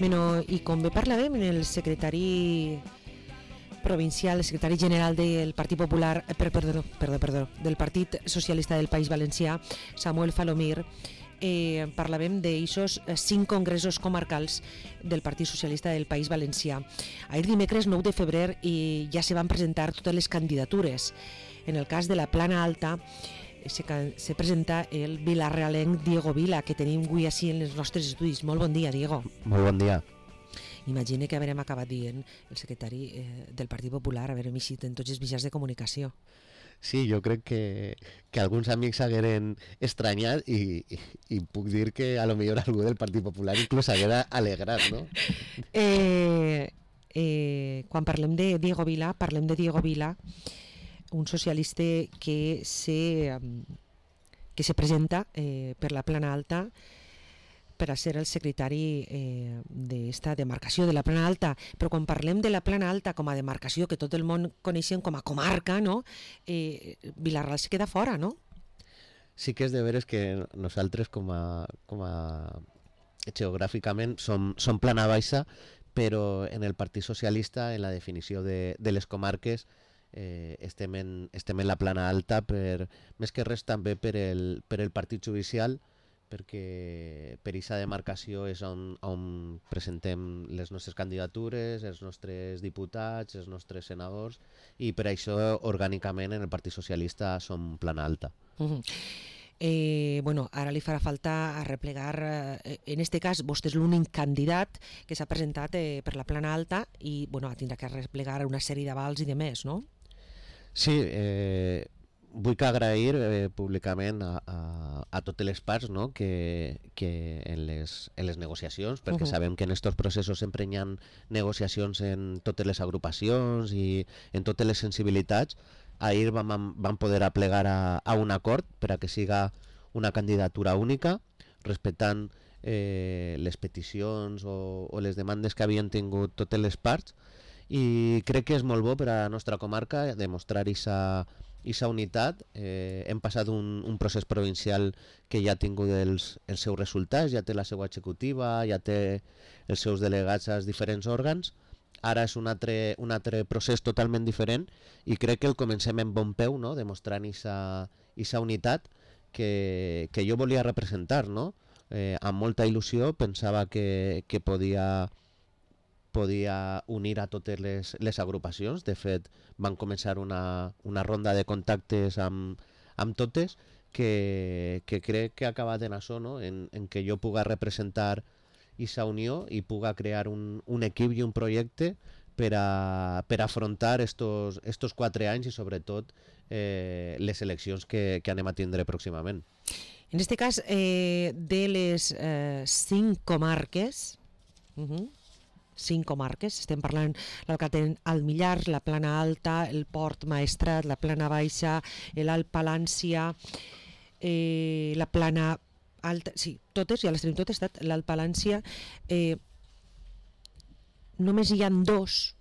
Bueno, i com bé parlàvem, el secretari provincial, el secretari general del Partit Popular, del Partit Socialista del País Valencià, Samuel Falomir, parlàvem d'aixos 5 congressos comarcals del Partit Socialista del País Valencià. Ahir dimecres 9 de febrer ja se van presentar totes les candidatures. En el cas de la Plana Alta se presenta el vilarrealenc Diego Vila, que tenim avui així en els nostres estudis. Molt bon dia, Diego. Molt bon dia. Imagina que haurem acabat dient el secretari del Partit Popular, haurem eixit en tots els mitjans de comunicació. Sí, jo crec que alguns amics s'hagueren estranyat i puc dir que a lo millor algú del Partit Popular inclús s'haguera alegrat, no? Quan parlem de Diego Vila, un socialista que se presenta per la Plana Alta per a ser el secretari d'esta demarcació de la Plana Alta. Però quan parlem de la Plana Alta com a demarcació, que tot el món coneixem com a comarca, no? Vila-real se queda fora, no? Sí que és de veres que nosaltres com a geogràficament som Plana Baixa, però en el Partit Socialista, en la definició de les comarques, estem en la Plana Alta, més que res també per el Partit Judicial, perquè per aquesta demarcació és on presentem les nostres candidatures, els nostres diputats, els nostres senadors, i per això orgànicament en el Partit Socialista som Plana Alta. Bueno, ara li farà falta arreplegar, en este cas vostè és l'únic candidat que s'ha presentat per la Plana Alta i bueno, tindrà que arreplegar una sèrie d'avals i de més, no? Sí, vull agrair públicament a totes les parts, no? que en les negociacions, perquè sabem que en aquests processos sempre hi ha negociacions en totes les agrupacions i en totes les sensibilitats. Ahir vam poder aplegar a un acord per a que siga una candidatura única, respectant les peticions o les demandes que havien tingut totes les parts, i crec que és molt bo per a la nostra comarca demostrar aquesta unitat. Hem passat un procés provincial que ja ha tingut els seus resultats, ja té la seva executiva, ja té els seus delegats als diferents òrgans. Ara és un altre procés totalment diferent i crec que el comencem en bon peu, no? Demostrant aquesta unitat que jo volia representar, no? Amb molta il·lusió pensava que podia unir a totes les agrupacions. De fet, van començar una ronda de contactes amb totes que crec que ha acabat en això, no? En que jo puga representar aquesta unió i puga crear un equip i un projecte per afrontar estos 4 anys i sobretot les eleccions que anem a tindre pròximament. En aquest cas, de les 5 comarques, 5 comarques, estem parlant el Millars, la Plana Alta, el Port Maestrat, la Plana Baixa, l'Alt Palància, la Plana Alta, sí, totes, ja les tenim totes, l'Alt Palància. Només hi ha 2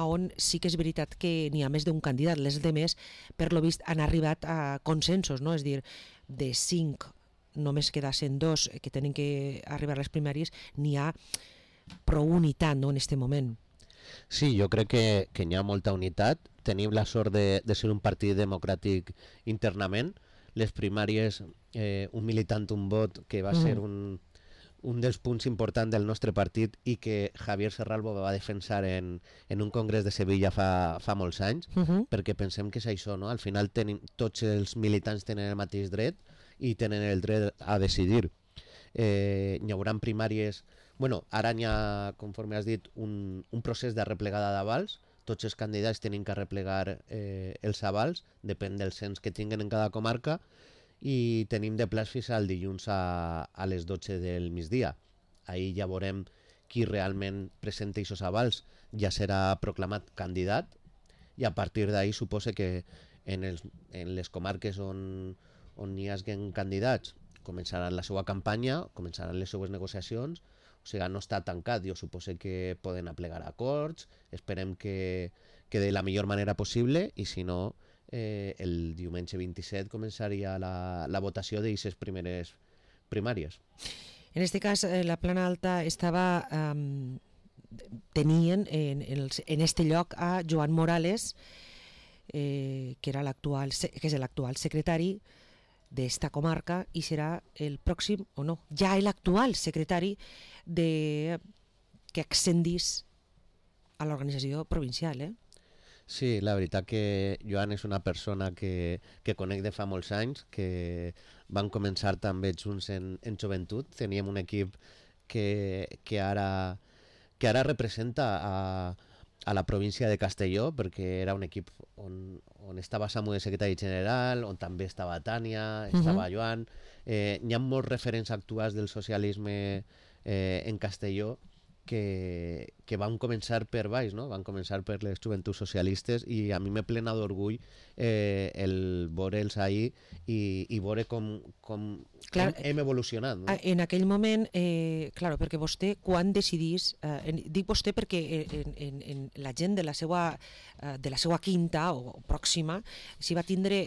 on sí que és veritat que n'hi ha més d'un candidat. Les demés, per lo vist, han arribat a consensos, no? És a dir, de 5 només quedassen 2 que tenen que arribar a les primàries, n'hi ha prou unitat, no, en aquest moment. Sí, jo crec que hi ha molta unitat. Tenim la sort de ser un partit democràtic internament. Les primàries, un militant, un vot, que va ser un dels punts importants del nostre partit i que Javier Serralbo va defensar en un congrés de Sevilla fa molts anys, perquè pensem que és això, no? Al final tots els militants tenen el mateix dret i tenen el dret a decidir. Hi haurà primàries. Bueno, ara hi ha, conforme has dit, un procés de replegada d'avals. Tots els candidats tenen que replegar els avals, depèn del cens que tinguen en cada comarca, i tenim de plaç fins al dilluns a les 12 del migdia. Ahir ja veurem qui realment presenta aquests avals, ja serà proclamat candidat, i a partir d'ahir suposa que en les comarques on hi hagin candidats començaran la seva campanya, començaran les seues negociacions. O sigui, no està tancat. Jo suposo que poden aplegar acords, esperem que de la millor manera possible, i si no, el diumenge 27 començaria la votació d'aquestes primeres primàries. En este cas, la Plana Alta estava... tenien en este lloc a Joan Morales, que és l'actual secretari d'esta comarca i serà el pròxim, o no, ja l'actual secretari que accedís a l'organització provincial. Sí, la veritat que Joan és una persona que conec de fa molts anys, que van començar també junts en joventut. Teníem un equip que ara representa a la província de Castelló, perquè era un equip on estava Samu de secretari general, on també estava Tània, estava Joan. Hi ha molts referents actuals del socialisme en Castelló que van començar per baix, no? Van començar per les joventuts socialistes, i a mi me plena d'orgull el veure'ls ahir i veure com hem evolucionat, no? En aquell moment, perquè vostè, quan decidís, dic vostè perquè en la gent de la seva quinta o pròxima s'hi va tindre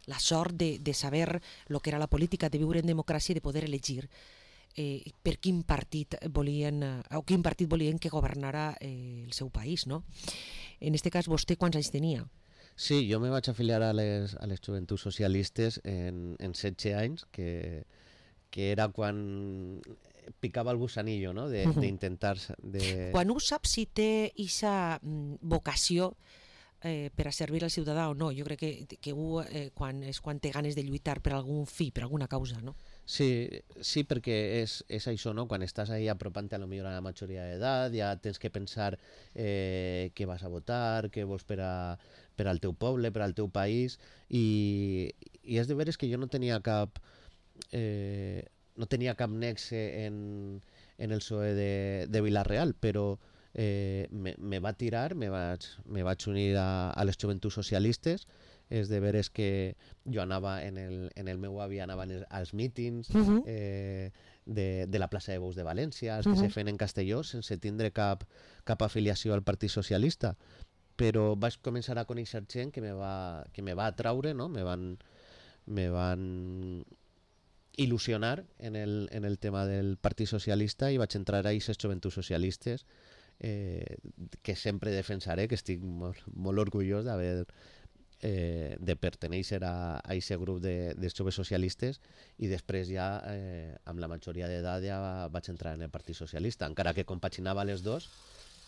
la sort de saber el que era la política, de viure en democràcia i de poder elegir per quin partit volien que governara el seu país, no? En aquest cas, vostè quants anys tenia? Sí, jo me vaig afiliar a les joventuts socialistes en 16 anys, que era quan picava el gusanillo, no? D'intentar... Quan ho saps si té aquesta vocació per a servir al ciutadà o no? Jo crec que és quan té ganes de lluitar per algun fi, per alguna causa, no? Sí, perquè és això, no? Quan estàs ahí apropant-te a lo millor a la majoria d'edat, ja tens que pensar què vas a votar, què vols per al teu poble, per al teu país, i és de veres que jo no tenia cap nexe en el PSOE de Vila-real, però me va tirar, me vaig unir a les joventuts socialistes. És de veres que jo anava en el meu avi, anava als mítings de la plaça de Bous de València, els que se feien en Castelló, sense tindre cap afiliació al Partit Socialista. Però vaig començar a conèixer gent que me va atraure, no? Me van il·lusionar en el tema del Partit Socialista, i vaig entrar a aquestes joventuts socialistes que sempre defensaré, que estic molt orgullós de pertenèixer a aquest grup dels joves socialistes, i després ja amb la majoria d'edat ja vaig entrar en el Partit Socialista, encara que compaginava les dos,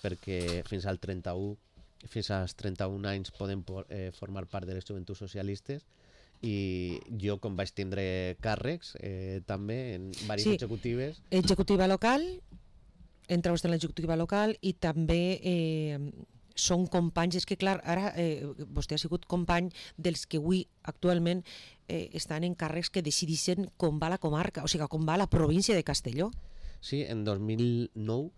perquè fins als 31 anys poden formar part de les joventuts socialistes, i jo, com vaig tindre càrrecs també en diverses executives. Executiva local, entra vostè en l'executiva local, i també són companys. És que clar, ara vostè ha sigut company dels que avui actualment estan en càrrecs que decideixen com va la comarca, o sigui, com va la província de Castelló. Sí, en 2009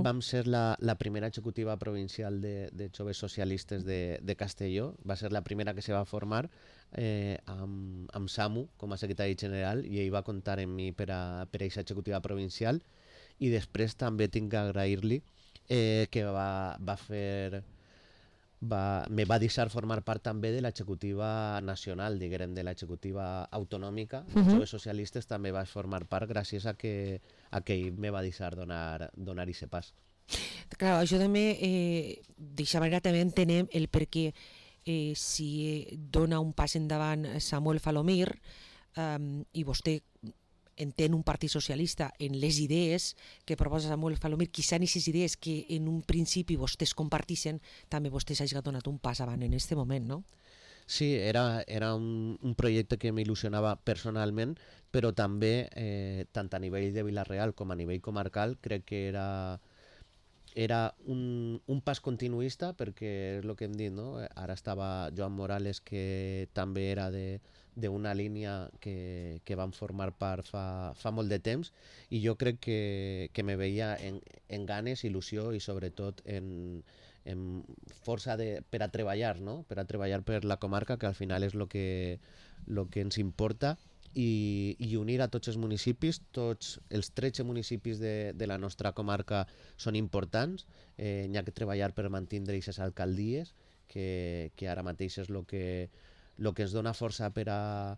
vam ser la primera executiva provincial de joves socialistes de Castelló. Va ser la primera que se va formar amb Samu com a secretari general, i ell va comptar amb mi per a aquesta executiva provincial. I després també tinc que agrair-li que me va deixar formar part també de l'executiva nacional, diguem, de l'executiva autonòmica. Els joves socialistes també vaig formar part gràcies a que ell me va deixar donar aquest pas. Clar, això també, d'aquesta manera també entenem el perquè si dona un pas endavant Samuel Falomir i vostè entén un partit socialista en les idees que proposa Samuel Falomir, quizá en aquestes idees que en un principi vostès comparteixen, també vostès hagin donat un pas avant en aquest moment, no? Sí, era un projecte que m'il·lusionava personalment, però també, tant a nivell de Vila-real com a nivell comarcal, crec que era un pas continuista, perquè és el que hem dit, no? Ara estava Joan Morales, que també era d'una línia que van formar part fa molt de temps, i jo crec que me veia en ganes, il·lusió i sobretot en força per a treballar, no? Per a treballar per la comarca, que al final és el que ens importa, i unir a tots els municipis. Tots els 13 municipis de la nostra comarca són importants. N'hi ha que treballar per mantenir aquestes alcaldies, que ara mateix és el que ens dona força per a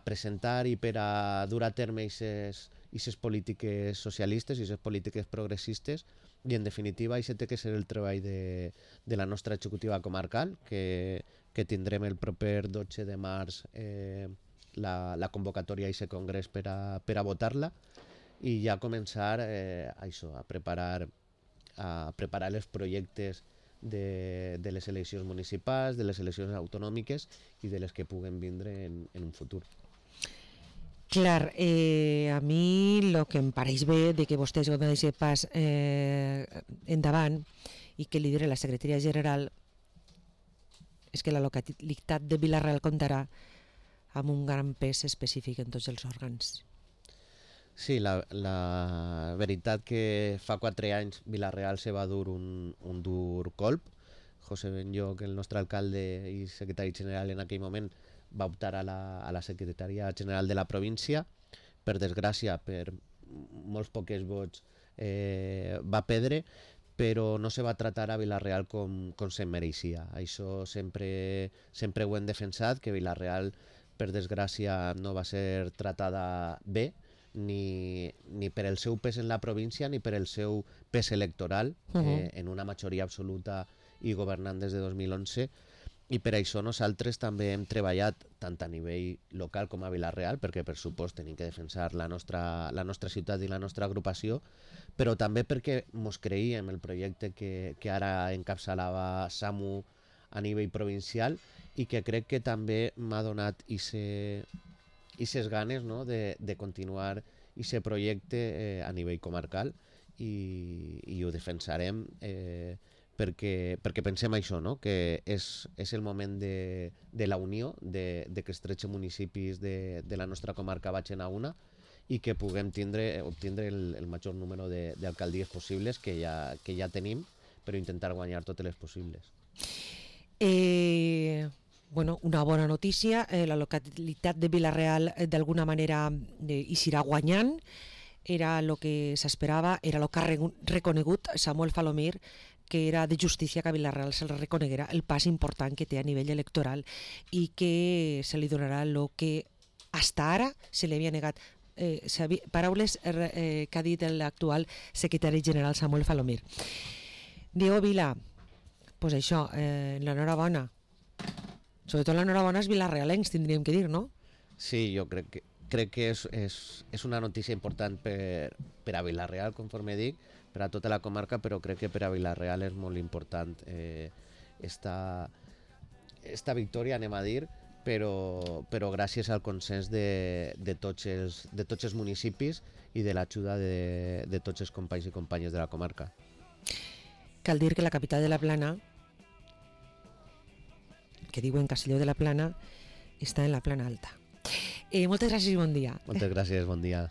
presentar i per a dur a terme aquestes aquestes polítiques socialistes i aquestes polítiques progressistes, i en definitiva això té que ser el treball de la nostra executiva comarcal, que tindrem el proper 12 de març la convocatòria a aquest congrés per a votar-la, i ja començar a preparar els projectes de les eleccions municipals, de les eleccions autonòmiques i de les que puguen vindre en un futur. Clar, a mi el que em pareix bé de que vostès van deixar pas endavant i que lidera la secretaria general és que la localitat de Vila-real comptarà amb un gran pes específic en tots els òrgans. Sí, la veritat que fa 4 anys Vila-real se va dur un dur colp. José Benlloch, el nostre alcalde i secretari general en aquell moment, va optar a la secretaria general de la província. Per desgràcia, per molts pocs vots va perdre, però no se va tratar a Vila-real com se mereixia. Això sempre ho hem defensat, que Vila-real, per desgràcia, no va ser tratada bé, ni per el seu pes en la província ni per el seu pes electoral en una majoria absoluta i governant des de 2011, i per això nosaltres també hem treballat tant a nivell local com a Vila-real, perquè per supost tenim que defensar la nostra ciutat i la nostra agrupació, però també perquè mos creíem el projecte que ara encapçalava Samu a nivell provincial, i que crec que també m'ha donat aquestes ganes, no?, de continuar aquest projecte a nivell comarcal, i ho defensarem perquè pensem això, no?, que és el moment de la unió, de que els 13 municipis de la nostra comarca vagin a una, i que puguem obtindre el major número d'alcaldies possibles, que ja tenim, però intentar guanyar totes les possibles. Bueno, una bona notícia, la localitat de Vila-real d'alguna manera hi serà guanyant, era el que s'esperava, era el que ha reconegut Samuel Falomir, que era de justícia que a Vila-real se li reconeguera el pas important que té a nivell electoral i que se li donarà el que hasta ara se li havia negat. Paraules que ha dit l'actual secretari general Samuel Falomir. Diego Vila, pues això, l'enhorabona. Sobretot l'enhorabona als vilarealencs, tindríem que dir, no? Sí, jo crec que és una notícia important per a Vila-real, conforme dic, per a tota la comarca, però crec que per a Vila-real és molt important esta victòria, anem a dir, però gràcies al consens de tots els municipis i de l'ajuda de tots els companys i companyes de la comarca. Cal dir que la capital de la Plana, que diuen Castelló de la Plana, està en la Plana Alta. Moltes gràcies i bon dia. Moltes gràcies, bon dia.